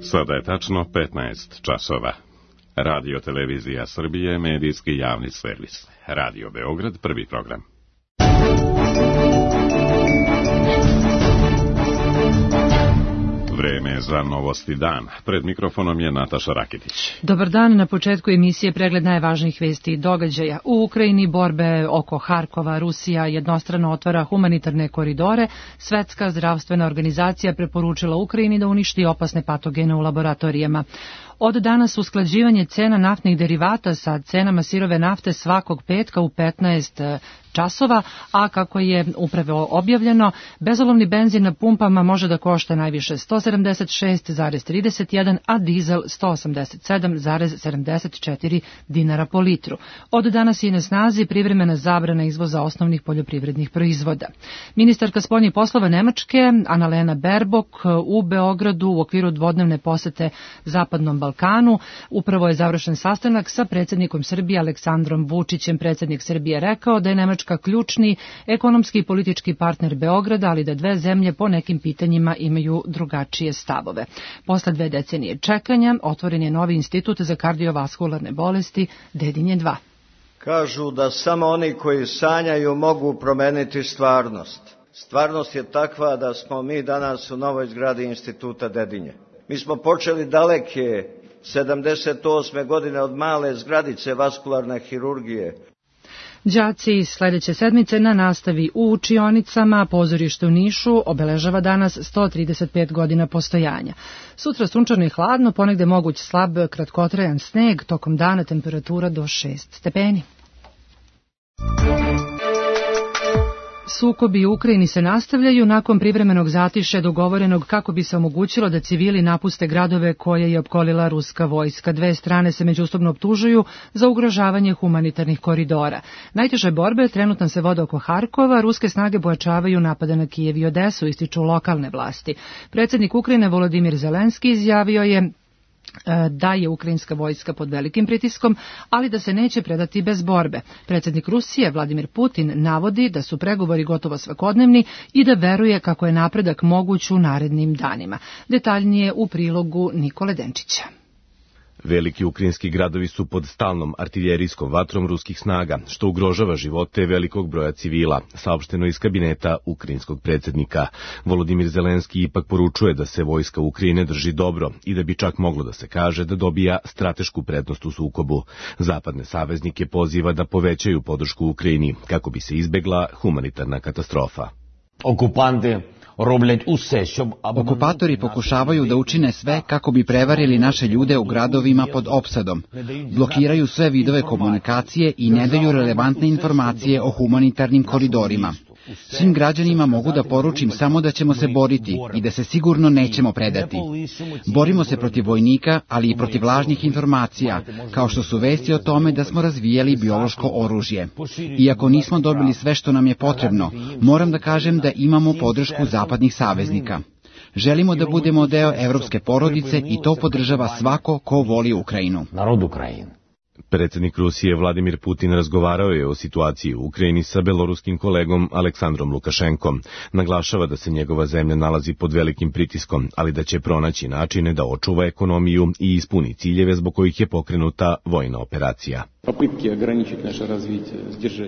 Sada je tačno 15 časova. Radio Televizija Srbije, medijski javni servis. Radio Beograd, prvi program. Vreme za Novosti dan. Pred mikrofonom je Nataša Rakitić. Dobar dan, na početku emisije pregled najvažnijih vesti i događaja. U Ukrajini borbe oko Harkova, Rusija jednostrano otvara humanitarne koridore. Svetska zdravstvena organizacija preporučila Ukrajini da uništi opasne patogene u laboratorijama. Od danas usklađivanje cena naftnih derivata sa cenama sirove nafte svakog petka u 15 časova, a kako je upravo objavljeno, bezolovni benzin na pumpama može da košta najviše 176,31, a dizel 187,74 dinara po litru. Od danas je na snazi privremena zabrana izvoza osnovnih poljoprivrednih proizvoda. Ministarka spoljnih poslova Nemačke, Annalena Baerbock, u Beogradu u okviru dvodnevne posete Zapadnom Balkanu. Upravo je završen sastanak sa predsjednikom Srbije Aleksandrom Vučićem. Predsjednik Srbije rekao da je Nemačka ključni ekonomski i politički partner Beograda, ali da dve zemlje po nekim pitanjima imaju drugačije stavove. Posle 2 decenije čekanja otvoren je novi institut za kardiovaskularne bolesti Dedinje 2. Kažu da samo oni koji sanjaju mogu promeniti stvarnost. Stvarnost je takva da smo mi danas u novoj zgradi instituta Dedinje. Mi smo počeli daleke 78. godine od male zgradice vaskularne hirurgije. Đaci sledeće sedmice na nastavi u učionicama. Pozorište u Nišu obeležava danas 135 godina postojanja. Sutra sunčano i hladno, ponegde moguć slab kratkotrajan sneg, tokom dana temperatura do 6 stepeni. Sukobi u Ukrajini se nastavljaju nakon privremenog zatišja dogovorenog kako bi se omogućilo da civili napuste gradove koje je opkolila ruska vojska. Dve strane se međusobno optužuju za ugrožavanje humanitarnih koridora. Najteže borbe trenutno se vode oko Harkova, ruske snage pojačavaju napade na Kijev i Odesu, ističu lokalne vlasti. Predsjednik Ukrajine Volodimir Zelenski izjavio je da je ukrajinska vojska pod velikim pritiskom, ali da se neće predati bez borbe. Predsjednik Rusije Vladimir Putin navodi da su pregovori gotovo svakodnevni i da veruje kako je napredak moguć u narednim danima. Detaljnije u prilogu Nikole Denčića. Veliki ukrajinski gradovi su pod stalnom artiljerijskom vatrom ruskih snaga, što ugrožava živote velikog broja civila, saopšteno iz kabineta ukrajinskog predsjednika. Volodimir Zelenski ipak poručuje da se vojska Ukrajine drži dobro i da bi čak moglo da se kaže da dobija stratešku prednost u sukobu. Zapadne saveznike poziva da povećaju podršku Ukrajini kako bi se izbegla humanitarna katastrofa. Okupatori pokušavaju da učine sve kako bi prevarili naše ljude u gradovima pod opsadom. Blokiraju sve vidove komunikacije i ne daju relevantne informacije o humanitarnim koridorima. Svim građanima mogu da poručim samo da ćemo se boriti i da se sigurno nećemo predati. Borimo se protiv vojnika, ali i protiv lažnih informacija, kao što su vesti o tome da smo razvijali biološko oružje. Iako nismo dobili sve što nam je potrebno, moram da kažem da imamo podršku zapadnih saveznika. Želimo da budemo deo evropske porodice i to podržava svako ko voli Ukrajinu. Predsjednik Rusije Vladimir Putin razgovarao je o situaciji u Ukrajini sa beloruskim kolegom Aleksandrom Lukašenkom. Naglašava da se njegova zemlja nalazi pod velikim pritiskom, ali da će pronaći načine da očuva ekonomiju i ispuni ciljeve zbog kojih je pokrenuta vojna operacija.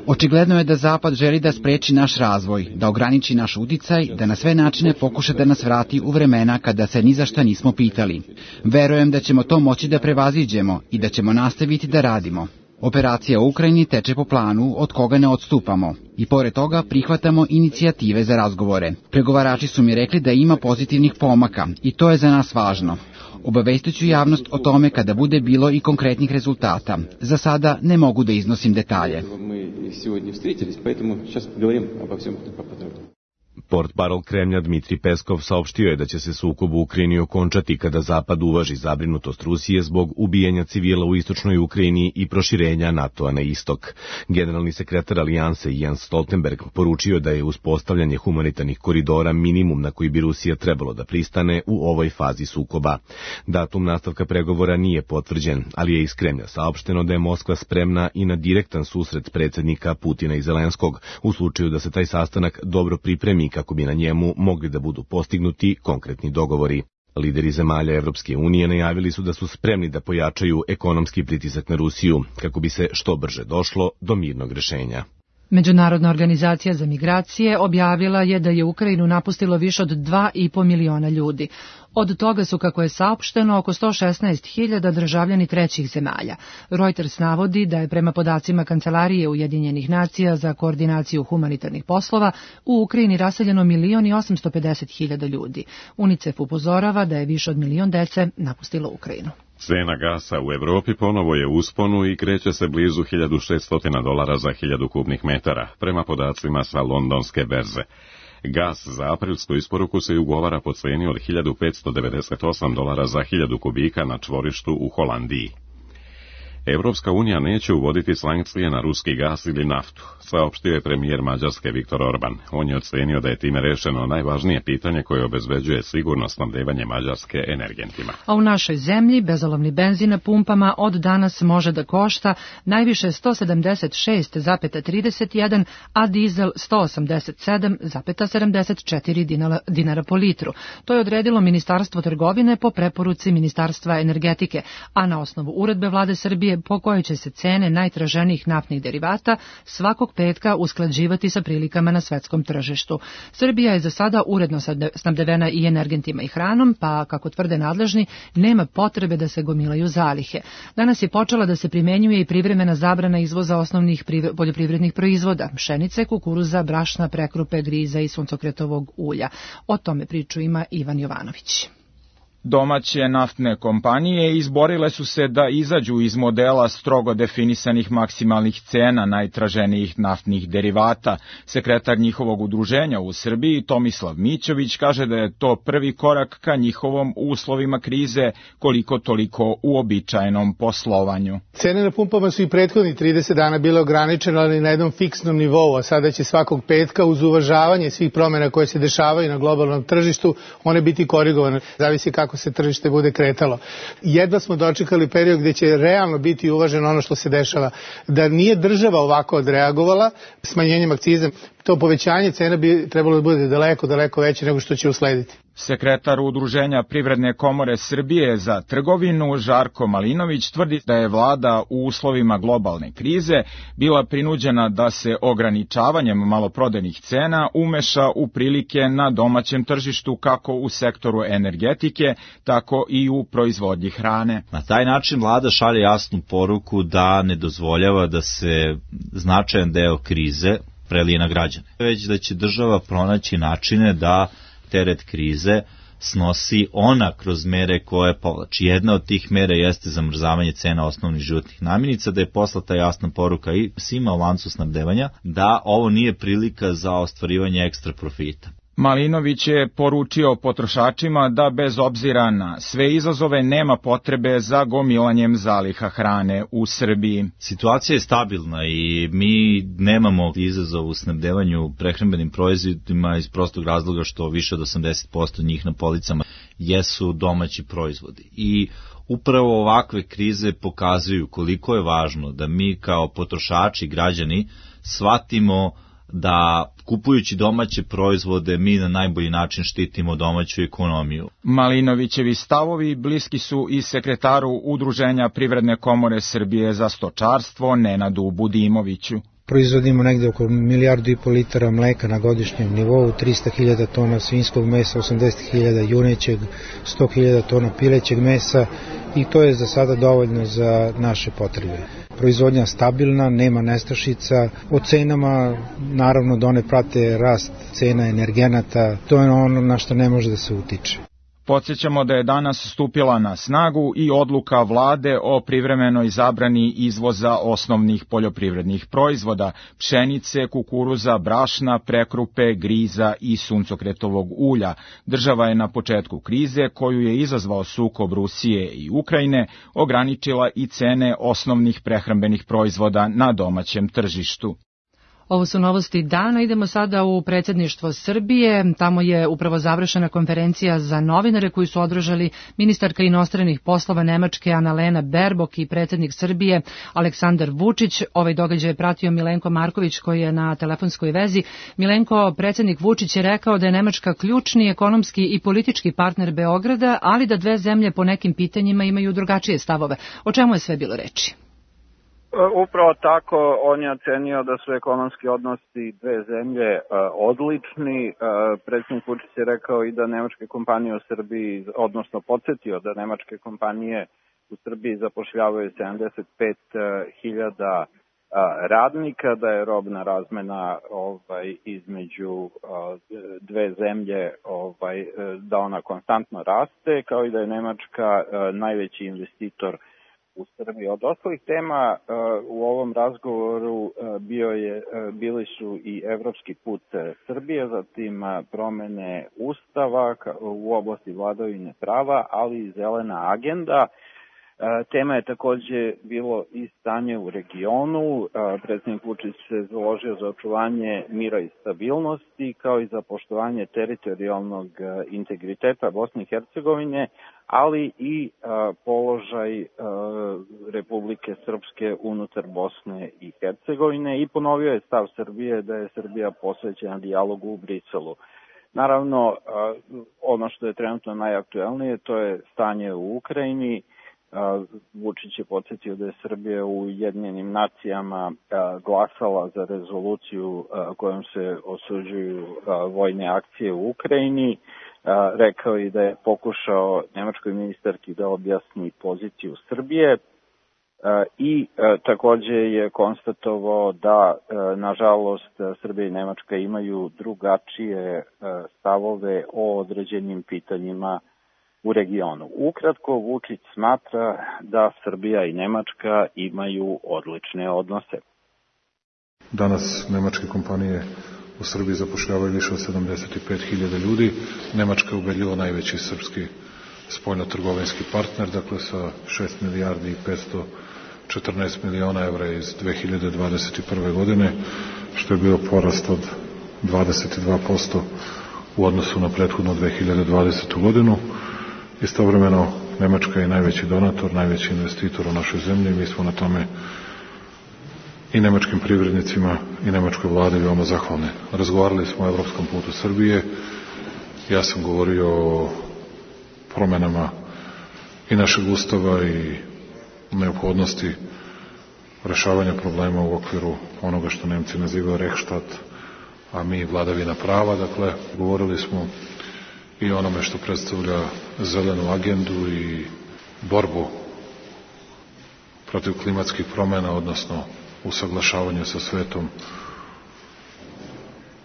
Očigledno je da Zapad želi da spreči naš razvoj, da ograniči naš uticaj, da na sve načine pokuša da nas vrati u vremena kada se ni za šta nismo pitali. Verujem da ćemo to moći da prevaziđemo i da ćemo nastaviti da radimo. Operacija u Ukrajini teče po planu od koga ne odstupamo i pored toga prihvatamo inicijative za razgovore. Pregovarači su mi rekli da ima pozitivnih pomaka i to je za nas važno. Obavestit ću javnost o tome kada bude bilo i konkretnih rezultata. Za sada ne mogu da iznosim detalje. Portparol Kremlja Dmitri Peskov saopštio je da će se sukob u Ukrajini okončati kada Zapad uvaži zabrinutost Rusije zbog ubijanja civila u istočnoj Ukrajini i proširenja NATO-a na istok. Generalni sekretar Alijanse Jens Stoltenberg poručio da je uspostavljanje humanitarnih koridora minimum na koji bi Rusija trebalo da pristane u ovoj fazi sukoba. Datum nastavka pregovora nije potvrđen, ali je iz Kremlja saopšteno da je Moskva spremna i na direktan susret predsjednika Putina i Zelenskog u slučaju da se taj sastanak dobro pripremi kako bi na njemu mogli da budu postignuti konkretni dogovori. Lideri zemalja Evropske unije najavili su da su spremni da pojačaju ekonomski pritisak na Rusiju, kako bi se što brže došlo do mirnog rešenja. Međunarodna organizacija za migracije objavila je da je Ukrajinu napustilo više od 2,5 miliona ljudi. Od toga su, kako je saopšteno, oko 116.000 državljani trećih zemalja. Reuters navodi da je prema podacima Kancelarije Ujedinjenih nacija za koordinaciju humanitarnih poslova u Ukrajini raseljeno 1.850.000 ljudi. UNICEF upozorava da je više od 1 milion dece napustilo Ukrajinu. Cena gasa u Evropi ponovo je u usponu i kreće se blizu $1.600 za 1000 kubnih metara, prema podacima sa londonske berze. Gas za aprilsku isporuku se ugovara po ceni od $1.598 za 1000 kubika na čvorištu u Holandiji. Evropska unija neće uvoditi sankcije na ruski gas ili naftu, saopštio je premijer Mađarske Viktor Orban. On je ocenio da je time rešeno najvažnije pitanje koje obezbeđuje sigurno snabdevanje Mađarske energentima. A u našoj zemlji bezolovni benzin na pumpama od danas može da košta najviše 176,31, a dizel 187,74 dinara po litru. To je odredilo Ministarstvo trgovine po preporuci Ministarstva energetike, a na osnovu uredbe Vlade Srbije po kojoj će se cene najtraženijih naftnih derivata svakog petka usklađivati sa prilikama na svetskom tržištu. Srbija je za sada uredno snabdevena i energentima i hranom, pa, kako tvrde nadležni, nema potrebe da se gomilaju zalihe. Danas je počela da se primenjuje i privremena zabrana izvoza osnovnih poljoprivrednih proizvoda, pšenice, kukuruza, brašna, prekrupe, griza i suncokretovog ulja. O tome priču ima Ivan Jovanović. Domaće naftne kompanije izborile su se da izađu iz modela strogo definisanih maksimalnih cena najtraženijih naftnih derivata. Sekretar njihovog udruženja u Srbiji, Tomislav Mićović, kaže da je to prvi korak ka njihovom uslovima krize koliko toliko uobičajenom poslovanju. Cene na pumpama su i prethodnih 30 dana bile ograničene, ali na jednom fiksnom nivou, a sada će svakog petka uz uvažavanje svih promjena koje se dešavaju na globalnom tržištu, one biti korigovane. Zavisi kako se tržište bude kretalo. Jedva smo dočekali period gdje će realno biti uvaženo ono što se dešava. Da nije država ovako odreagovala smanjenjem akciza, to povećanje cena bi trebalo da bude daleko veće nego što će uslediti. Sekretar Udruženja Privredne komore Srbije za trgovinu Žarko Malinović tvrdi da je vlada u uslovima globalne krize bila prinuđena da se ograničavanjem maloprodajnih cena umeša u prilike na domaćem tržištu kako u sektoru energetike, tako i u proizvodnji hrane. Na taj način vlada šalje jasnu poruku da ne dozvoljava da se značajan deo krize prelije na građane, već da će država pronaći načine da teret krize snosi ona kroz mere koje povlači. Jedna od tih mera jeste zamrzavanje cena osnovnih životnih namirnica, da je poslata jasna poruka i svima u lancu snabdevanja da ovo nije prilika za ostvarivanje ekstra profita. Malinović je poručio potrošačima da bez obzira na sve izazove nema potrebe za gomilanjem zaliha hrane u Srbiji. Situacija je stabilna i mi nemamo izazov u snabdevanju prehrambenim proizvodima iz prostog razloga što više od 80% njih na policama jesu domaći proizvodi. I upravo ovakve krize pokazuju koliko je važno da mi kao potrošači, građani, shvatimo da kupujući domaće proizvode mi na najbolji način štitimo domaću ekonomiju. Malinovićevi stavovi bliski su i sekretaru Udruženja Privredne komore Srbije za stočarstvo Nenadu Budimoviću. Proizvodimo negde oko 1,5 milijardu litara mleka na godišnjem nivou, 300.000 tona svinjskog mesa, 80.000 junećeg, 100.000 tona pilećeg mesa i to je za sada dovoljno za naše potrebe. Proizvodnja stabilna, nema nestašica, o cenama naravno da one prate rast cena energenata, to je ono na što ne može da se utiče. Podsjećamo da je danas stupila na snagu i odluka vlade o privremenoj zabrani izvoza osnovnih poljoprivrednih proizvoda, pšenice, kukuruza, brašna, prekrupe, griza i suncokretovog ulja. Država je na početku krize, koju je izazvao sukob Rusije i Ukrajine, ograničila i cene osnovnih prehrambenih proizvoda na domaćem tržištu. Ovo su novosti dana. Idemo sada u predsjedništvo Srbije. Tamo je upravo završena konferencija za novinare koju su održali ministarka inostranih poslova Nemačke Annalena Baerbock i predsjednik Srbije Aleksandar Vučić. Ovaj događaj je pratio Milenko Marković koji je na telefonskoj vezi. Milenko, predsjednik Vučić je rekao da je Nemačka ključni ekonomski i politički partner Beograda, ali da dve zemlje po nekim pitanjima imaju drugačije stavove. O čemu je sve bilo reči? Upravo tako, on je ocenio da su ekonomski odnosi dve zemlje odlični. Predsjednik Vučić je rekao i da nemačke kompanije u Srbiji, odnosno podsjetio da nemačke kompanije u Srbiji zapošljavaju 75.000 radnika, da je robna razmena između dve zemlje da ona konstantno raste, kao i da je Nemačka najveći investitor u Srbiji. Od ostalih tema u ovom razgovoru bili su i evropski put Srbije, zatim promene Ustava u oblasti vladavine prava, ali i zelena agenda. Tema je takođe bilo i stanje u regionu. Predsjednik Vučić se založio za očuvanje mira i stabilnosti, kao i za poštovanje teritorijalnog integriteta Bosne i Hercegovine, ali i položaj Republike Srpske unutar Bosne i Hercegovine i ponovio je stav Srbije da je Srbija posvećena dijalogu u Briselu. Naravno, ono što je trenutno najaktuelnije, to je stanje u Ukrajini. Vučić je podsjetio da je Srbija u Ujedinjenim nacijama glasala za rezoluciju kojom se osuđuju vojne akcije u Ukrajini. Rekao i da je pokušao nemačkoj ministarki da objasni poziciju Srbije i takođe je konstatovao da, nažalost, Srbija i Nemačka imaju drugačije stavove o određenim pitanjima u regionu. Ukratko, Vučić smatra da Srbija i Nemačka imaju odlične odnose. Danas nemačke kompanije u Srbiji zapošljavaju više od 75.000 ljudi. Nemačka je ubedljivo najveći srpski spoljno-trgovinski partner, dakle sa 6 milijardi i 514 miliona evra iz 2021. godine, što je bio porast od 22% u odnosu na prethodnu 2020. godinu. Istovremeno, Nemačka je najveći donator, najveći investitor u našoj zemlji i mi smo na tome i nemačkim privrednicima i nemačkoj vladi veoma zahvalni. Razgovarali smo o evropskom putu Srbije. Ja sam govorio o promenama i našeg ustava i neophodnosti rešavanja problema u okviru onoga što Nemci nazivaju Rechtsstaat, a mi vladavina prava. Dakle, govorili smo i onome što predstavlja zelenu agendu i borbu protiv klimatskih promena, odnosno usaglašavanje sa svetom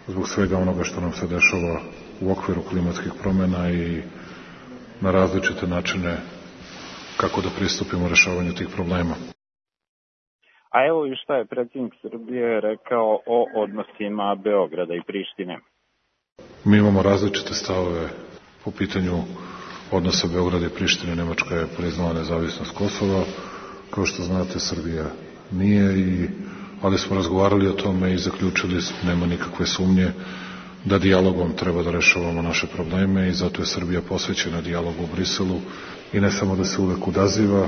zbog svega onoga što nam se dešava u okviru klimatskih promena i na različite načine kako da pristupimo rešavanju tih problema. A evo i šta je predsjednik Srbije rekao o odnosima Beograda i Prištine. Mi imamo različite stavove po pitanju odnosa Beograda i Prištine. Nemačka je priznala nezavisnost Kosova, kao što znate Srbija nije, ali smo razgovarali o tome i zaključili, nema nikakve sumnje da dijalogom treba da rešavamo naše probleme i zato je Srbija posvećena dijalogu u Briselu i ne samo da se uvek odaziva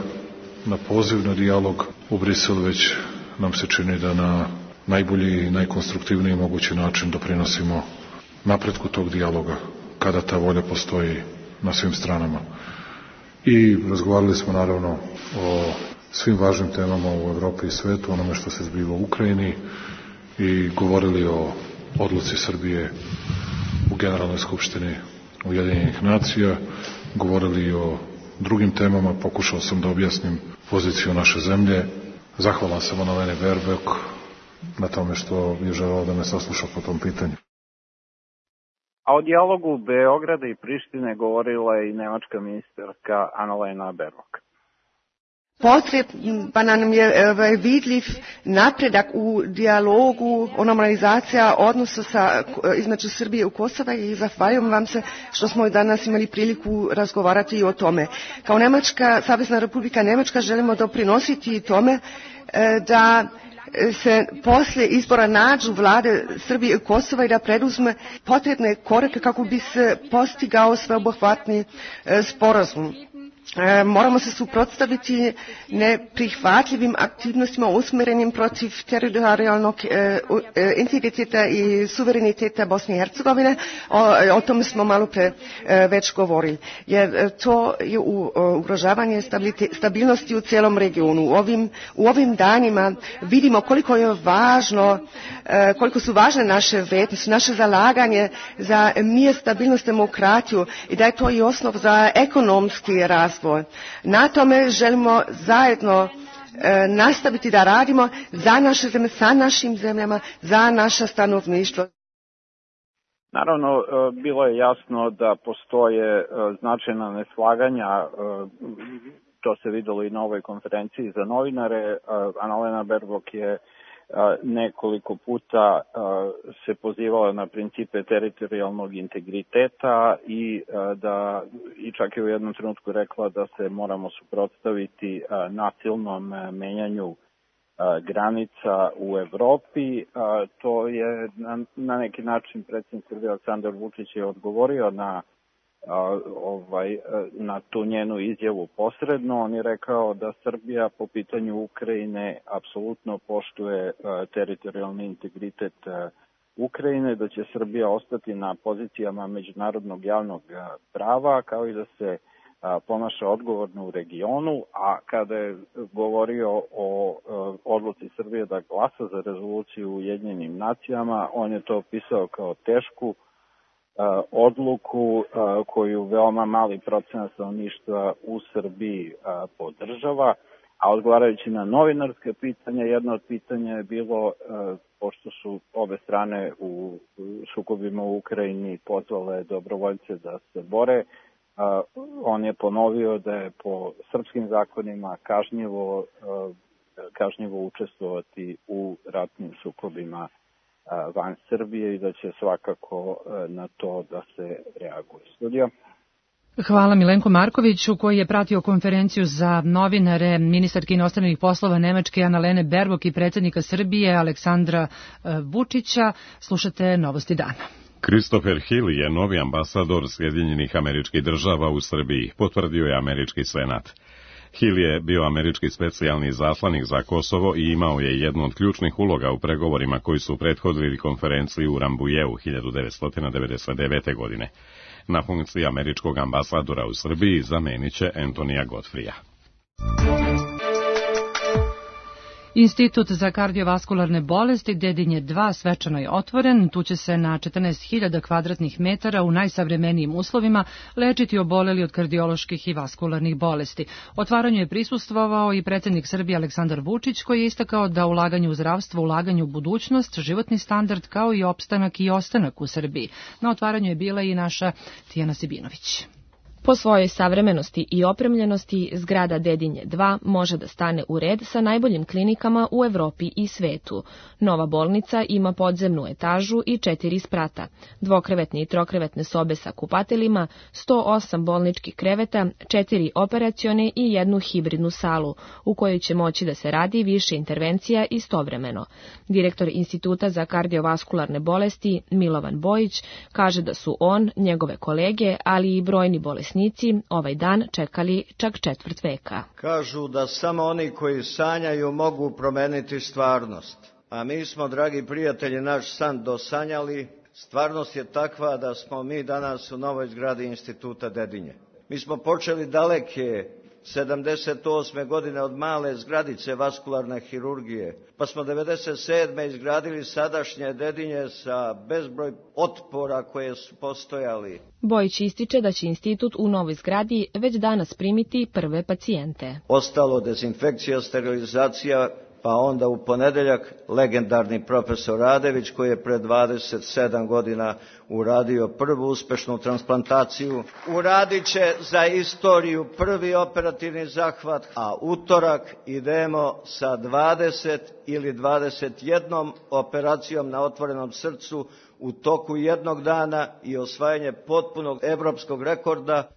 na poziv na dijalog u Briselu, već nam se čini da na najbolji i najkonstruktivniji mogući način doprinosimo napretku tog dijaloga kada ta volja postoji na svim stranama. I razgovarali smo naravno o svim važnim temama u Evropi i svetu, onome što se zbiva u Ukrajini i govorili o odluci Srbije u Generalnoj skupštini Ujedinjenih nacija, govorili o drugim temama, pokušao sam da objasnim poziciju naše zemlje. Zahvalan sam Annalene Baerbock na tome što je želeo da me sasluša po tom pitanju. A o dijalogu Beograda i Prištine govorila je i nemačka ministarka Annalena Baerbock. Potreban nam je vidljiv napredak u dijalogu o normalizacija odnosa između Srbije i Kosova i zahvaljujem vam se što smo danas imali priliku razgovarati i o tome. Kao Savezna Republika Nemačka želimo doprinositi tome da se poslije izbora nađu vlade Srbije i Kosova i da preduzme potrebne korake kako bi se postigao sveobuhvatni sporazum. Moramo se suprotstaviti neprihvatljivim aktivnostima usmjerenim protiv teritorijalnog integriteta i suvereniteta Bosne i Hercegovine. O tome smo malo pre već govorili. Jer to je ugrožavanje stabilnosti u cijelom regionu. U ovim danima vidimo koliko je važno, koliko su važne naše vrijednosti, naše zalaganje za mir, stabilnost, demokratiju i da je to i osnov za ekonomski razvoj. Na tome želimo zajedno nastaviti da radimo za naše zemlje, sa našim zemljama, za naše stanovništvo. Naravno, bilo je jasno da postoje značajna neslaganja, to se videlo i na ovoj konferenciji za novinare. Annalena Baerbock je nekoliko puta se pozivala na principe teritorijalnog integriteta i čak je u jednom trenutku rekla da se moramo suprotstaviti nasilnom menjanju granica u Evropi. To je na neki način predsjednik Srbije Aleksandar Vučić je odgovorio na tu njenu izjavu posredno. On je rekao da Srbija po pitanju Ukrajine apsolutno poštuje teritorijalni integritet Ukrajine, da će Srbija ostati na pozicijama međunarodnog javnog prava, kao i da se ponaša odgovorno u regionu, a kada je govorio o odluci Srbije da glasa za rezoluciju u Ujedinjenim nacijama, on je to opisao kao tešku odluku koju veoma mali procenat stanovništva u Srbiji podržava, a odgovarajući na novinarske pitanja, jedno od pitanja je bilo, pošto su obe strane u sukobima u Ukrajini pozvale dobrovoljce da se bore, on je ponovio da je po srpskim zakonima kažnjivo učestvovati u ratnim sukobima van Srbije i da će svakako na to da se reaguje. Studija. Hvala Milenko Markoviću koji je pratio konferenciju za novinare ministarke inostranih poslova Nemačke Annalene Baerbock i predsjednika Srbije Aleksandra Vučića. Slušate Novosti dana. Christopher Hill je novi ambasador Sjedinjenih Američkih Država u Srbiji, potvrdio je američki senat. Hill je bio američki specijalni zaslanik za Kosovo i imao je jednu od ključnih uloga u pregovorima koji su prethodili konferenciji u Rambujeu 1999. godine. Na funkciji američkog ambasadora u Srbiji zamenit će Antonija Godfreya. Institut za kardiovaskularne bolesti Dedinje 2 svečano je otvoren. Tu će se na 14.000 kvadratnih metara u najsavremenijim uslovima lečiti oboleli od kardioloških i vaskularnih bolesti. Otvaranju je prisustvovao i predsjednik Srbije Aleksandar Vučić koji je istakao da ulaganje u zdravstvo, ulaganje u budućnost, životni standard kao i opstanak i ostanak u Srbiji. Na otvaranju je bila i naša Tijana Sibinović. Po svojoj savremenosti i opremljenosti, zgrada Dedinje 2 može da stane u red sa najboljim klinikama u Evropi i svetu. Nova bolnica ima podzemnu etažu i 4 sprata, dvokrevetne i trokrevetne sobe sa kupateljima, 108 bolničkih kreveta, 4 operacione i jednu hibridnu salu, u kojoj će moći da se radi više intervencija istovremeno. Direktor Instituta za kardiovaskularne bolesti Milovan Bojić kaže da su on, njegove kolege, ali i brojni bolesnici ovaj dan čekali čak četvrt veka. Kažu da samo oni koji sanjaju mogu promeniti stvarnost. A mi smo, dragi prijatelji, naš san dosanjali. Stvarnost je takva da smo mi danas u novoj zgradi Instituta Dedinje. Mi smo počeli daleke 78. godine od male zgradice vaskularne hirurgije, pa smo 97. izgradili sadašnje Dedinje sa bezbroj otpora koje su postojali. Bojić ističe da će institut u novoj zgradi već danas primiti prve pacijente. Ostalo dezinfekcija, sterilizacija, pa onda u ponedeljak legendarni profesor Radević koji je pred 27 godina uradio prvu uspešnu transplantaciju. Uradit će za istoriju prvi operativni zahvat, a utorak idemo sa 20 ili 21 operacijom na otvorenom srcu u toku jednog dana i osvajanje potpunog evropskog rekorda.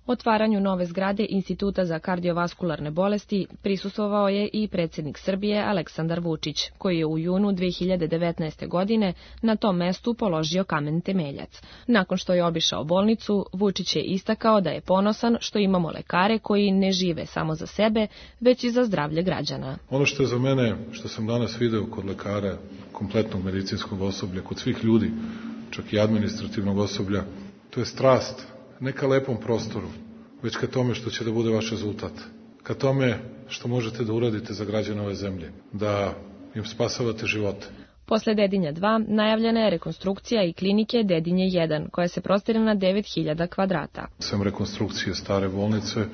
Otvaranju nove zgrade Instituta za kardiovaskularne bolesti prisustvovao je i predsjednik Srbije Aleksandar Vučić, koji je u junu 2019. godine na tom mestu položio kamen temeljac. Nakon što je obišao bolnicu, Vučić je istakao da je ponosan što imamo lekare koji ne žive samo za sebe, već i za zdravlje građana. Ono što je za mene, što sam danas video kod lekara, kompletnog medicinskog osoblja, kod svih ljudi, čak i administrativnog osoblja, to je strast, ne ka lepom prostoru, već ka tome što će da bude vaš rezultat, ka tome što možete da uradite za građane ove zemlje, da im spasavate živote. Posle Dedinja 2 najavljena je rekonstrukcija i klinike Dedinje 1, koja se prostire na 9000 kvadrata. Sem rekonstrukcije stare bolnice,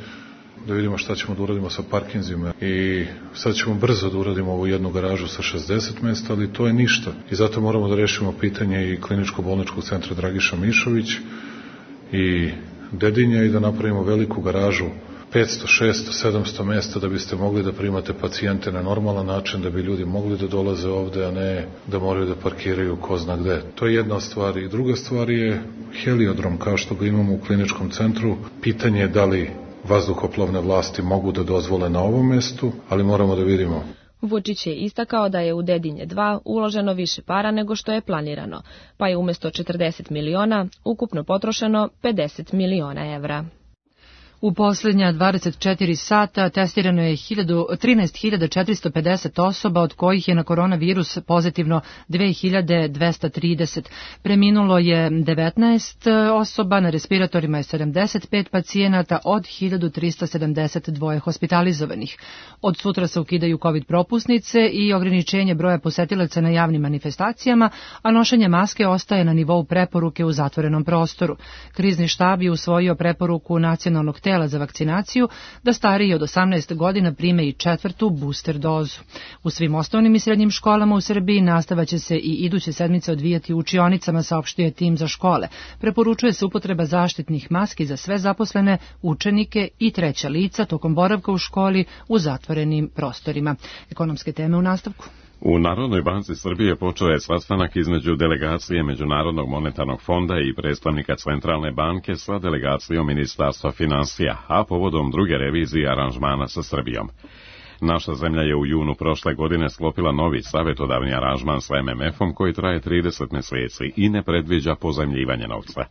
da vidimo šta ćemo da uradimo sa parkinzima i sad ćemo brzo da uradimo ovu jednu garažu sa 60 mesta, ali to je ništa. I zato moramo da rešimo pitanje i kliničko-bolničkog centra Dragiša Mišović i Dedinja i da napravimo veliku garažu 500, 600, 700 mesta da biste mogli da primate pacijente na normalan način, da bi ljudi mogli da dolaze ovde, a ne da moraju da parkiraju ko zna gde. To je jedna stvar. I druga stvar je heliodrom, kao što ga imamo u kliničkom centru. Pitanje je da li vazduhoplovne vlasti mogu da dozvole na ovom mestu, ali moramo da vidimo. Vučić je istakao da je u Dedinje 2 uloženo više para nego što je planirano, pa je umjesto 40 miliona ukupno potrošeno 50 miliona evra. U posljednja 24 sata testirano je 13.450 osoba, od kojih je na koronavirus pozitivno 2.230. Preminulo je 19 osoba, na respiratorima je 75 pacijenata od 1.372 hospitalizovanih. Od sutra se ukidaju COVID propusnice i ograničenje broja posetilaca na javnim manifestacijama, a nošenje maske ostaje na nivou preporuke u zatvorenom prostoru. Krizni štab je usvojio preporuku nacionalnog tela za vakcinaciju da stariji od 18 godina prime i 4. booster dozu. U svim osnovnim i srednjim školama u Srbiji nastava će se i iduće sedmice odvijati u učionicama, saopštio tim za škole. Preporučuje se upotreba zaštitnih maski za sve zaposlene, učenike i treća lica tokom boravka u školi u zatvorenim prostorima. Ekonomske teme u nastavku. U Narodnoj banci Srbije počeo je sastanak između delegacije Međunarodnog monetarnog fonda i predstavnika Centralne banke sa delegacijom Ministarstva finansija, a povodom druge revizije aranžmana sa Srbijom. Naša zemlja je u junu prošle godine sklopila novi savjetodavni aranžman sa MMF-om koji traje 30 meseci i ne predviđa pozajmljivanje novca.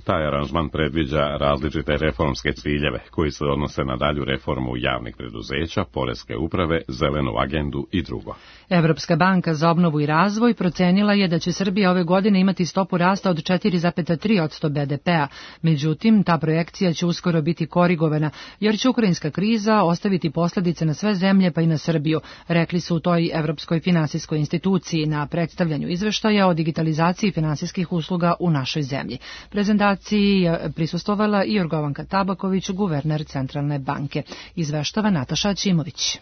Taj aranžman predviđa različite reformske ciljeve koji se odnose na dalju reformu javnih preduzeća, poreske uprave, zelenu agendu i drugo. Evropska banka za obnovu i razvoj procenila je da će Srbija ove godine imati stopu rasta od 4,3% BDP-a. Međutim, ta projekcija će uskoro biti korigovana, jer će ukrajinska kriza ostaviti posljedice na sve zemlje pa i na Srbiju, rekli su u toj Evropskoj finansijskoj instituciji na predstavljanju izveštaja o digitalizaciji finansijskih usluga u našoj zemlji. Prezentaciji je prisustvovala i Jorgovanka Tabaković, guverner Centralne banke. Izveštava Nataša Ćimović.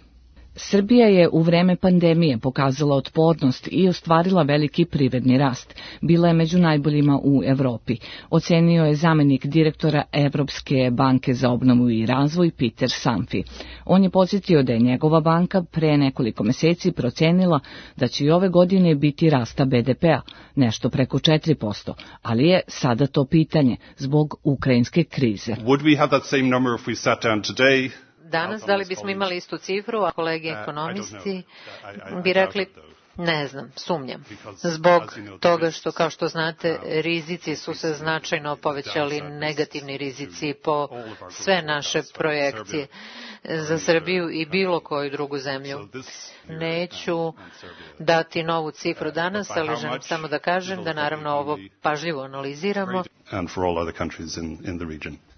Srbija je u vreme pandemije pokazala otpornost i ostvarila veliki privredni rast. Bila je među najboljima u Evropi, ocenio je zamenik direktora Evropske banke za obnovu i razvoj Peter Sanfi. On je podsjetio da je njegova banka pre nekoliko meseci procenila da će i ove godine biti rasta BDP-a, nešto preko 4%, ali je sada to pitanje zbog ukrajinske krize. Would we have that same number if we sat down today? Danas, da li bismo imali istu cifru, a kolege ekonomisti bi rekli, ne znam, sumnjam. Zbog toga što, kao što znate, rizici su se značajno povećali, negativni rizici po sve naše projekcije za Srbiju i bilo koju drugu zemlju. Neću dati novu cifru danas, ali želim samo da kažem da naravno ovo pažljivo analiziramo.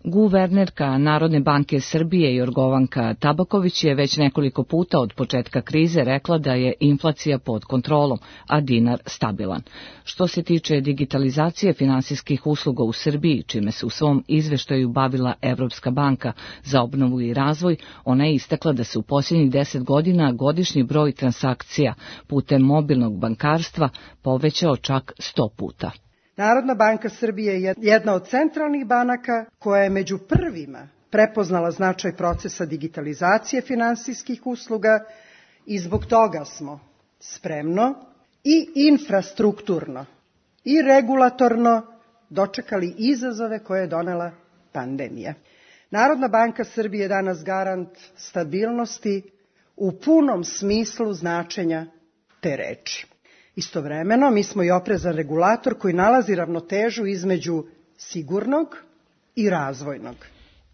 Guvernerka Narodne banke Srbije Jorgovanka Tabaković je već nekoliko puta od početka krize rekla da je inflacija pod kontrolom, a dinar stabilan. Što se tiče digitalizacije finansijskih usluga u Srbiji, čime se u svom izveštaju bavila Evropska banka za obnovu i razvoj, ona je istakla da se u posljednjih 10 godina godišnji broj transakcija putem mobilnog bankarstva povećao čak 100 puta. Narodna banka Srbije je jedna od centralnih banaka koja je među prvima prepoznala značaj procesa digitalizacije finansijskih usluga i zbog toga smo spremno i infrastrukturno i regulatorno dočekali izazove koje je donela pandemija. Narodna banka Srbije je danas garant stabilnosti u punom smislu značenja te reči. Istovremeno, mi smo i oprezan regulator koji nalazi ravnotežu između sigurnog i razvojnog.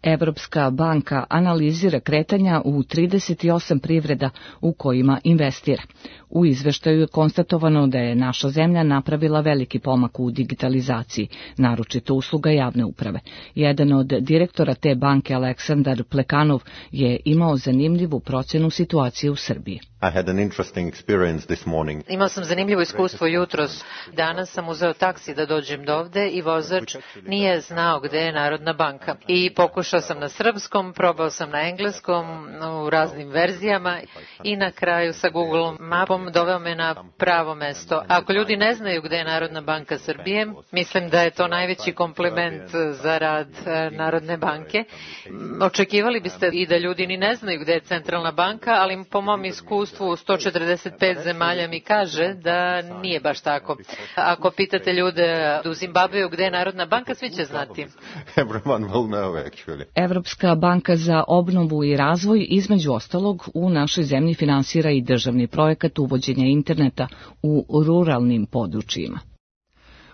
Evropska banka analizira kretanja u 38 privreda u kojima investira. U izveštaju je konstatovano da je naša zemlja napravila veliki pomak u digitalizaciji, naročito usluga javne uprave. Jedan od direktora te banke, Aleksandar Plekanov, je imao zanimljivu procenu situacije u Srbiji. Imao sam zanimljivo iskustvo jutros. Danas sam uzeo taksi da dođem do ovde i vozač nije znao gde je Narodna banka. I pokušao sam na srpskom, probao sam na engleskom, u raznim verzijama i na kraju sa Google mapom doveo me na pravo mesto. Ako ljudi ne znaju gde je Narodna banka Srbije, mislim da je to najveći kompliment za rad Narodne banke. Očekivali biste i da ljudi ni ne znaju gde je Centralna banka, ali po mom iskustvu 145 zemalja mi kaže da nije baš tako. Ako pitate ljude u Zimbabveu gde je Narodna banka, svi će znati. Evropska banka za obnovu i razvoj, između ostalog, u našoj zemlji finansira i državni projekat uvođenja interneta u ruralnim područjima.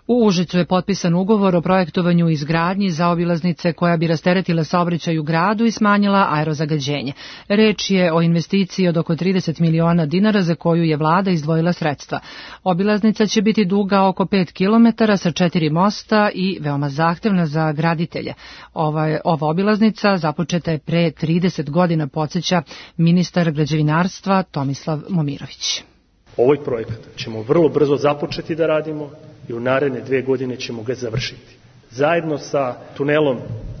U Užicu je potpisan ugovor o projektovanju i izgradnji zaobilaznice koja bi rasteretila saobraćaj u gradu i smanjila aerozagađenje. Reč je o investiciji od oko 30 miliona dinara za koju je vlada izdvojila sredstva. Obilaznica će biti duga oko 5 km sa 4 mosta i veoma zahtevna za graditelje. Ova obilaznica započeta je pre 30 godina, podsjeća ministar građevinarstva Tomislav Momirović. Ovaj projekat ćemo vrlo brzo započeti da radimo i u naredne 2 godine ćemo ga završiti. Zajedno sa tunelom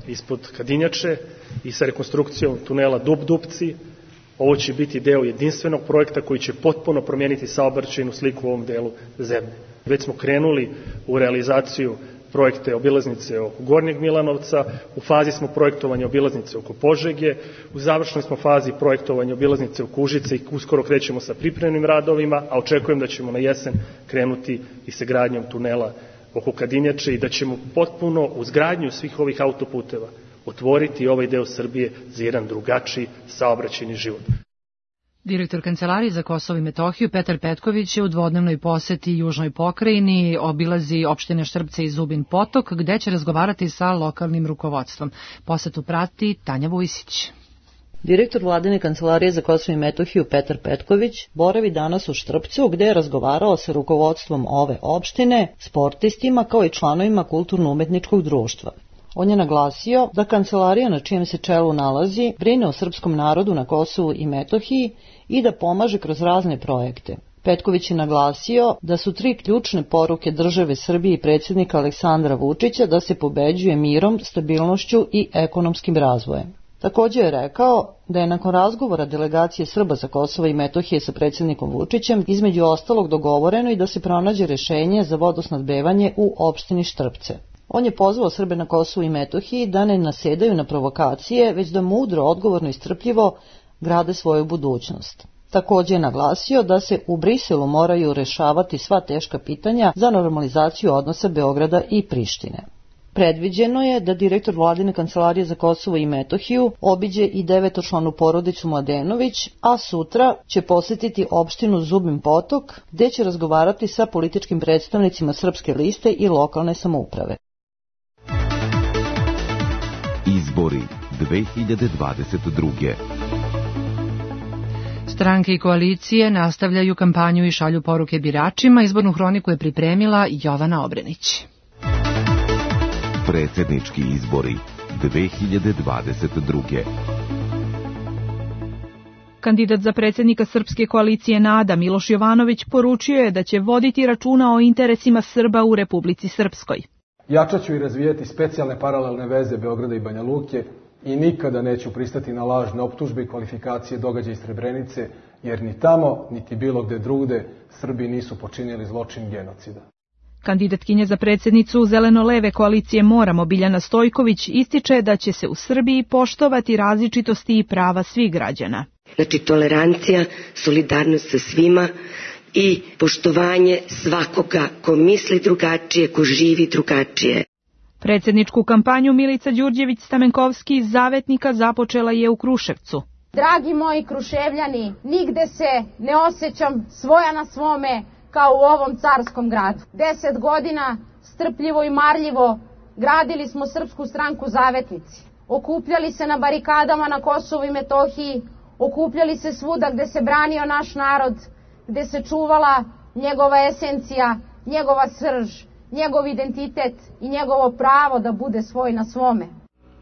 ispod Kadinjače i sa rekonstrukcijom tunela Dub-Dupci, ovo će biti deo jedinstvenog projekta koji će potpuno promijeniti saobraćajnu sliku u ovom delu zemlje. Već smo krenuli u realizaciju projekte obilaznice oko Gornjeg Milanovca, u fazi smo projektovanja obilaznice oko Požege, u završnoj smo fazi projektovanja obilaznice oko Užice i uskoro krećemo sa pripremnim radovima, a očekujem da ćemo na jesen krenuti i sa gradnjom tunela oko Kadinjače i da ćemo potpuno uz gradnju svih ovih autoputeva otvoriti ovaj deo Srbije za jedan drugačiji saobraćajni život. Direktor Kancelarije za Kosovo i Metohiju Petar Petković je u dvodnevnoj poseti južnoj pokrajini, obilazi opštine Štrpce i Zubin Potok, gde će razgovarati sa lokalnim rukovodstvom. Posetu prati Tanja Vujsić. Direktor Vladine Kancelarije za Kosovo i Metohiju Petar Petković boravi danas u Štrpcu, gde je razgovarao sa rukovodstvom ove opštine, sportistima kao i članovima kulturno-umetničkog društva. On je naglasio da kancelarija na čijem se čelu nalazi brine o srpskom narodu na Kosovu i Metohiji i da pomaže kroz razne projekte. Petković je naglasio da su 3 ključne poruke države Srbije i predsjednika Aleksandra Vučića da se pobeđuje mirom, stabilnošću i ekonomskim razvojem. Također je rekao da je nakon razgovora delegacije Srba sa Kosova i Metohije sa predsjednikom Vučićem između ostalog dogovoreno i da se pronađe rješenje za vodosnadbevanje u opštini Štrpce. On je pozvao Srbe na Kosovu i Metohiji da ne nasedaju na provokacije, već da mudro, odgovorno i strpljivo grade svoju budućnost. Također je naglasio da se u Briselu moraju rešavati sva teška pitanja za normalizaciju odnosa Beograda i Prištine. Predviđeno je da direktor Vladine Kancelarije za Kosovo i Metohiju obiđe i 9-članu porodicu Mladenović, a sutra će posjetiti opštinu Zubin Potok, gde će razgovarati sa političkim predstavnicima Srpske liste i lokalne samouprave. Izbori 2022. Stranke i koalicije nastavljaju kampanju i šalju poruke biračima. Izbornu hroniku je pripremila Jovana Obrenić. Predsjednički izbori 2022. Kandidat za predsjednika Srpske koalicije NADA Miloš Jovanović poručio je da će voditi računa o interesima Srba u Republici Srpskoj. Jačat ću i razvijeti specijalne paralelne veze Beograda i Banja Luke i nikada neću pristati na lažne optužbe i kvalifikacije događaja iz Srebrenice, jer ni tamo, niti bilo gde drugde Srbi nisu počinili zločin genocida. Kandidatkinja za predsjednicu zeleno-leve koalicije Moramo Biljana Stojković ističe da će se u Srbiji poštovati različitosti i prava svih građana. Znači tolerancija, solidarnost sa svima i poštovanje svakoga ko misli drugačije, ko živi drugačije. Predsjedničku kampanju Milica Đurđević-Stamenkovski iz Zavetnika započela je u Kruševcu. Dragi moji Kruševljani, nigde se ne osjećam svoja na svome kao u ovom carskom gradu. 10 godina strpljivo i marljivo gradili smo Srpsku stranku Zavetnici. Okupljali se na barikadama na Kosovu i Metohiji, okupljali se svuda gde se branio naš narod, gde se čuvala njegova esencija, njegova srž, njegov identitet i njegovo pravo da bude svoj na svome.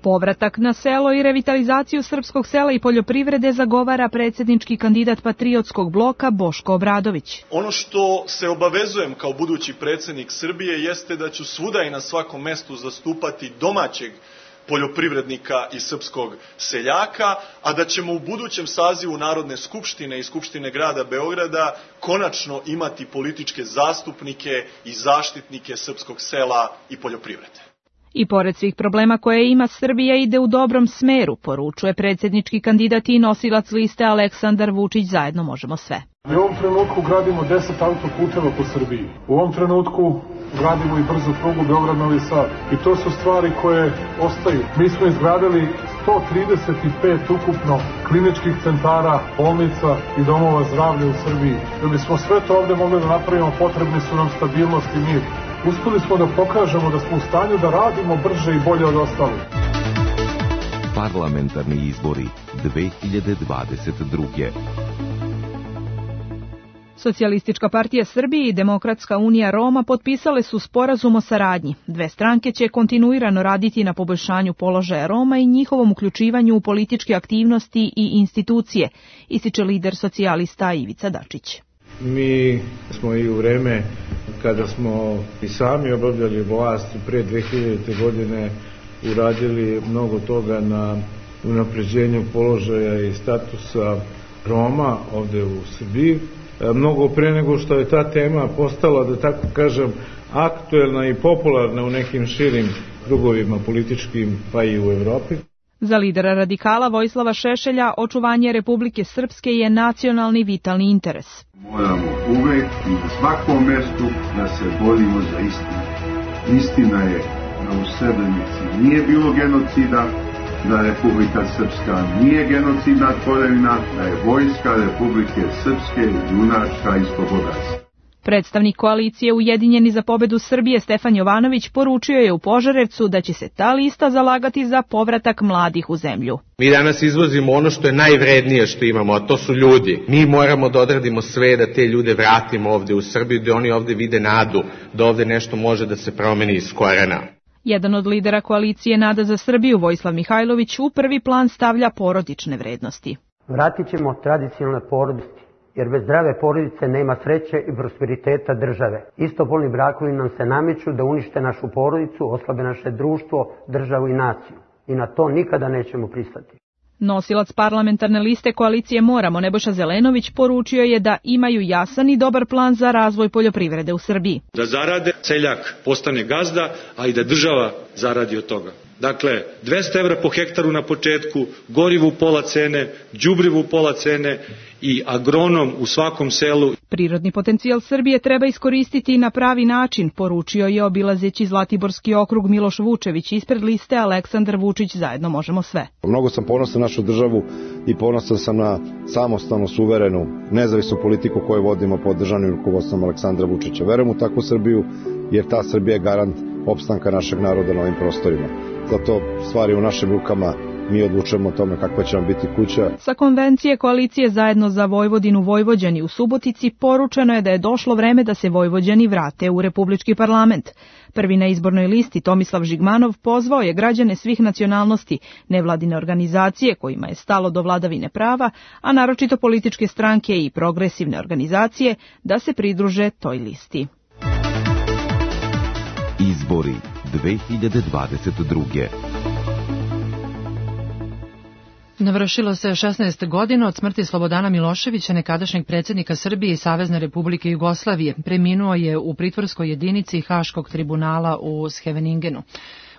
Povratak na selo i revitalizaciju srpskog sela i poljoprivrede zagovara predsjednički kandidat Patriotskog bloka Boško Obradović. Ono što se obavezujem kao budući predsjednik Srbije jeste da ću svuda i na svakom mestu zastupati domaćeg poljoprivrednika i srpskog seljaka, a da ćemo u budućem sazivu Narodne skupštine i Skupštine grada Beograda konačno imati političke zastupnike i zaštitnike srpskog sela i poljoprivrede. I pored svih problema koje ima, Srbija ide u dobrom smeru, poručuje predsjednički kandidat i nosilac liste Aleksandar Vučić Zajedno možemo sve. U ovom trenutku gradimo 10 autoputeva po Srbiji. U ovom trenutku gradimo i brzu prugu Beograd-Novi Sad. I to su stvari koje ostaju. Mi smo izgradili 135 ukupno kliničkih centara, bolnica i domova zdravlja u Srbiji. Da bismo sve to ovde mogli da napravimo, potrebni su nam stabilnost i mir. Uspeli smo da pokažemo da smo u stanju da radimo brže i bolje od ostalih. Parlamentarni izbori 2022. Socijalistička partija Srbije i Demokratska unija Roma potpisale su sporazum o saradnji. Dve stranke će kontinuirano raditi na poboljšanju položaja Roma i njihovom uključivanju u političke aktivnosti i institucije, ističe lider socijalista Ivica Dačić. Mi smo i u vreme kada smo i sami obavljali vlast pre 2000. godine uradili mnogo toga na unapređenju položaja i statusa Roma ovde u Srbiji. Mnogo pre nego što je ta tema postala, da tako kažem, aktuelna i popularna u nekim širim krugovima političkim, pa i u Evropi. Za lidera radikala Vojislava Šešelja očuvanje Republike Srpske je nacionalni vitalni interes. Moramo uvek i na svakom mestu da se borimo za istinu. Istina je da u Srebrenici nije bilo genocida, da Republika Srpska nije genocidna tvorevina, da je vojska Republike Srpske junačka i slobodarska. Predstavnik koalicije Ujedinjeni za pobedu Srbije Stefan Jovanović poručio je u Požarevcu da će se ta lista zalagati za povratak mladih u zemlju. Mi danas izvozimo ono što je najvrednije što imamo, a to su ljudi. Mi moramo da odradimo sve da te ljude vratimo ovde u Srbiju, da oni ovde vide nadu, da ovde nešto može da se promeni iz korena. Jedan od lidera koalicije Nada za Srbiju, Vojislav Mihajlović, u prvi plan stavlja porodične vrednosti. Vratit ćemo tradicionalne porodice, jer bez zdrave porodice nema sreće i prosperiteta države. Istopolni brakovi nam se nameću da unište našu porodicu, oslabe naše društvo, državu i naciju. I na to nikada nećemo pristati. Nosilac parlamentarne liste koalicije Moramo, Nebojša Zelenović, poručio je da imaju jasan i dobar plan za razvoj poljoprivrede u Srbiji. Da zarade, seljak postane gazda, a i da država zaradi od toga. Dakle, 200 evra po hektaru na početku, gorivo u pola cene, đubrivo u pola cene i agronom u svakom selu. Prirodni potencijal Srbije treba iskoristiti na pravi način, poručio je obilazeći Zlatiborski okrug Miloš Vučević ispred liste Aleksandar Vučić Zajedno možemo sve. Mnogo sam ponosan na našu državu i ponosan sam na samostalnu, suverenu, nezavisnu politiku koju vodimo pod državnim rukovodstvom Aleksandra Vučića. Verujem u takvu Srbiju jer ta Srbija je garant opstanka našeg naroda na ovim prostorima. Zato stvari u našim rukama, mi odlučujemo o tome kakva će nam biti kuća. Sa konvencije koalicije Zajedno za Vojvodinu Vojvođani u Subotici poručeno je da je došlo vreme da se Vojvođani vrate u Republički parlament. Prvi na izbornoj listi Tomislav Žigmanov pozvao je građane svih nacionalnosti, nevladine organizacije kojima je stalo do vladavine prava, a naročito političke stranke i progresivne organizacije da se pridruže toj listi. Izbori 2022. Navršilo se 16 godina od smrti Slobodana Miloševića, nekadašnjeg predsjednika Srbije i Savezne Republike Jugoslavije. Preminuo je u pritvorskoj jedinici Haškog tribunala u Scheveningenu.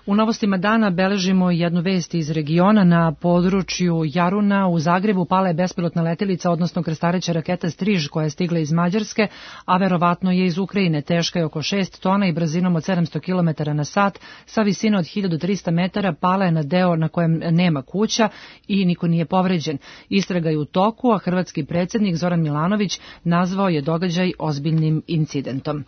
U novostima dana beležimo jednu vest iz regiona. Na području Jaruna u Zagrebu pala je bespilotna letelica, odnosno krstareća raketa Striž, koja je stigla iz Mađarske, a verovatno je iz Ukrajine. Teška je oko 6 tona i brzinom od 700 km na sat, sa visine od 1300 metara, pala je na deo na kojem nema kuća i niko nije povređen. Istraga je u toku, a hrvatski predsjednik Zoran Milanović nazvao je događaj ozbiljnim incidentom.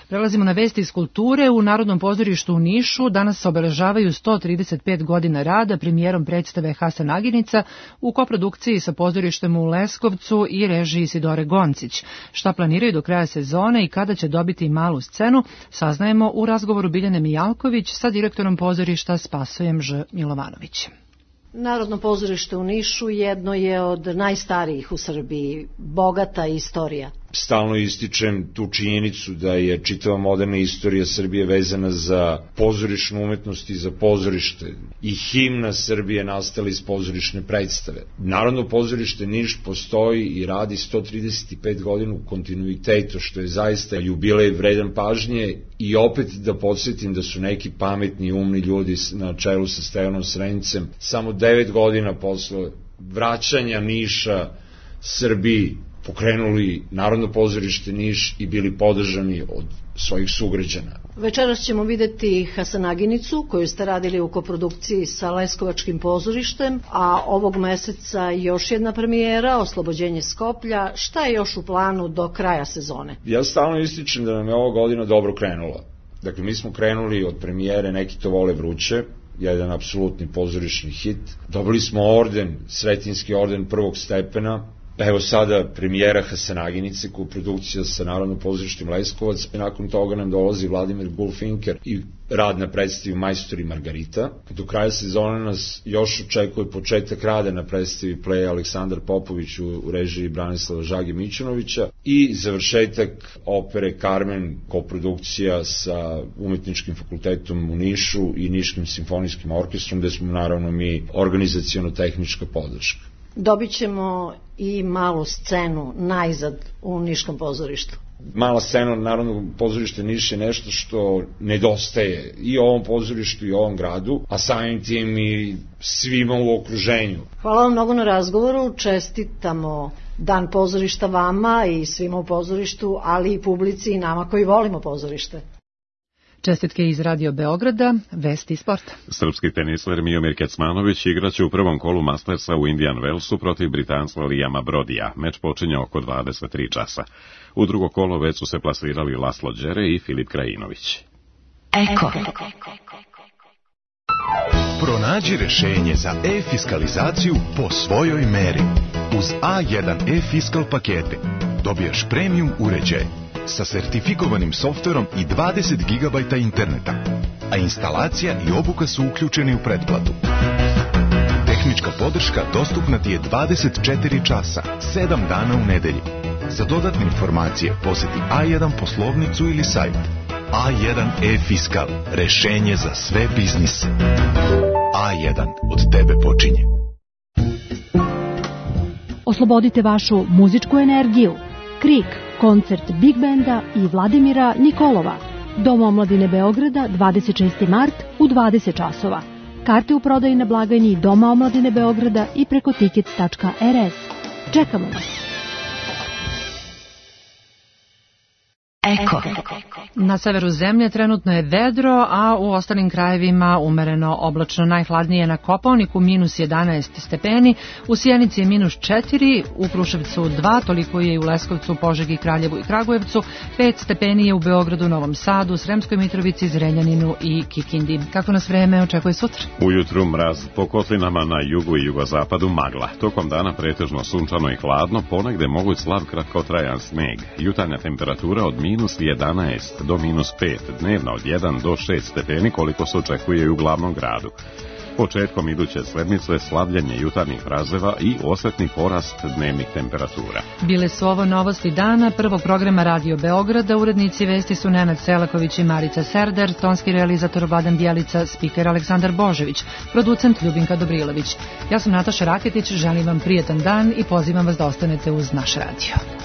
Prelazimo na vesti iz kulture. U Narodnom pozorištu u Nišu danas se obeležavaju 135 godina rada premijerom predstave Hasan Aginica u koprodukciji sa pozorištem u Leskovcu i režiji Isidore Goncić. Šta planiraju do kraja sezone i kada će dobiti malu scenu, saznajemo u razgovoru Biljane Mijalković sa direktorom pozorišta Spasojem Ž. Milovanovićem. Narodno pozorište u Nišu jedno je od najstarijih u Srbiji, bogata istorija. Stalno ističem tu činjenicu da je čitava moderna istorija Srbije vezana za pozorišnu umetnost i za pozorište. I himna Srbije nastala iz pozorišne predstave. Narodno pozorište Niš postoji i radi 135 godina u kontinuitetu, što je zaista jubilej vredan pažnje. I opet da podsjetim da su neki pametni i umni ljudi na čelu sa Stevanom Srencem samo 9 godina posle vraćanja Niša Srbiji pokrenuli Narodno pozorište Niš i bili podržani od svojih sugrađana. Večeras ćemo videti Hasanaginicu, koju ste radili u koprodukciji sa Leskovačkim pozorištem, a ovog meseca još jedna premijera, Oslobođenje Skoplja. Šta je još u planu do kraja sezone? Ja stalno ističem da nam je ova godina dobro krenula. Dakle, mi smo krenuli od premijere Neki to vole vruće, jedan apsolutni pozorišni hit. Dobili smo orden, Sretinski orden prvog stepena. Evo sada premijera Hasanaginice, koprodukcija sa Narodnim pozorištem Leskovac, i nakon toga nam dolazi Vladimir Gulfinker i rad na predstavi Majstor i Margarita. Do kraja sezone nas još očekuje početak rada na predstavi Pleja Aleksandar Popović u režiji Branislava Žage Mićunovića i završetak opere Carmen, koprodukcija sa Umetničkim fakultetom u Nišu i Niškim simfonijskim orkestrom, gde smo naravno mi organizaciono-tehnička podrška. Dobit ćemo i malu scenu najzad u Niškom pozorištu. Mala scena Narodnog pozorišta Niš je nešto što nedostaje i ovom pozorištu i ovom gradu, a samim tim i svima u okruženju. Hvala vam mnogo na razgovoru, čestitamo Dan pozorišta vama i svima u pozorištu, ali i publici i nama koji volimo pozorište. Čestitke iz Radio Beograda, vesti sporta. Srpski tenisler Miomir Kecmanović igraće u prvom kolu Mastersa u Indian Wellsu protiv Britanca Liama Brodija. Meč počinje oko 23 časa. U drugo kolo već su se plasirali Laslo Đere i Filip Krajinović. Eko. Pronađi rešenje za e-fiskalizaciju po svojoj meri. Uz A1 e-fiskal pakete dobijaš premium uređaj sa sertifikovanim softverom i 20 GB interneta, a instalacija i obuka su uključeni u pretplatu. Tehnička podrška dostupna ti je 24 časa, 7 dana u nedelji. Za dodatne informacije poseti A1 poslovnicu ili sajt. A1 e-fiskal, rešenje za sve biznise. A1 od tebe počinje. Oslobodite vašu muzičku energiju. Krik, koncert Big Benda i Vladimira Nikolova. Dom omladine Beograda, 26. mart u 20 časova. Karte u prodaji na blagajni Doma omladine Beograda i preko tickets.rs. Čekamo vas. Eko. Na severu zemlje trenutno je vedro, a u ostalim krajevima umereno oblačno. Najhladnije na Kopaoniku -11 stepeni, u Sjenici je -4, u Kruševcu 2, toliko je i u Leskovcu, Požegi, Kraljevu i Kragujevcu, 5 stepeni je u Beogradu, Novom Sadu, Sremskoj Mitrovici, Zrenjaninu i Kikindi. Kako nas vreme očekuje sutra? Ujutru mraz, po kotlinama na jugu i jugozapadu magla. Tokom dana pretežno sunčano i hladno, ponegde moguć slab kratkotrajan sneg. Jutarnja temperatura od -11 do -5, dnevna od 1 do 6 stepeni, koliko se očekuje i u glavnom gradu. Početkom iduće sedmice slabljenje jutarnjih razreva i osetni porast dnevnih temperatura. Bile su ovo novosti dana prvog programa Radio Beograda. Urednici vesti su Nenad Selaković i Marica Serder, tonski realizator Vladan Bjelica, spiker Aleksandar Božević, producent Ljubinka Dobrilović. Ja sam Nataša Raketić, želim vam prijetan dan i pozivam vas da ostanete uz naš radio.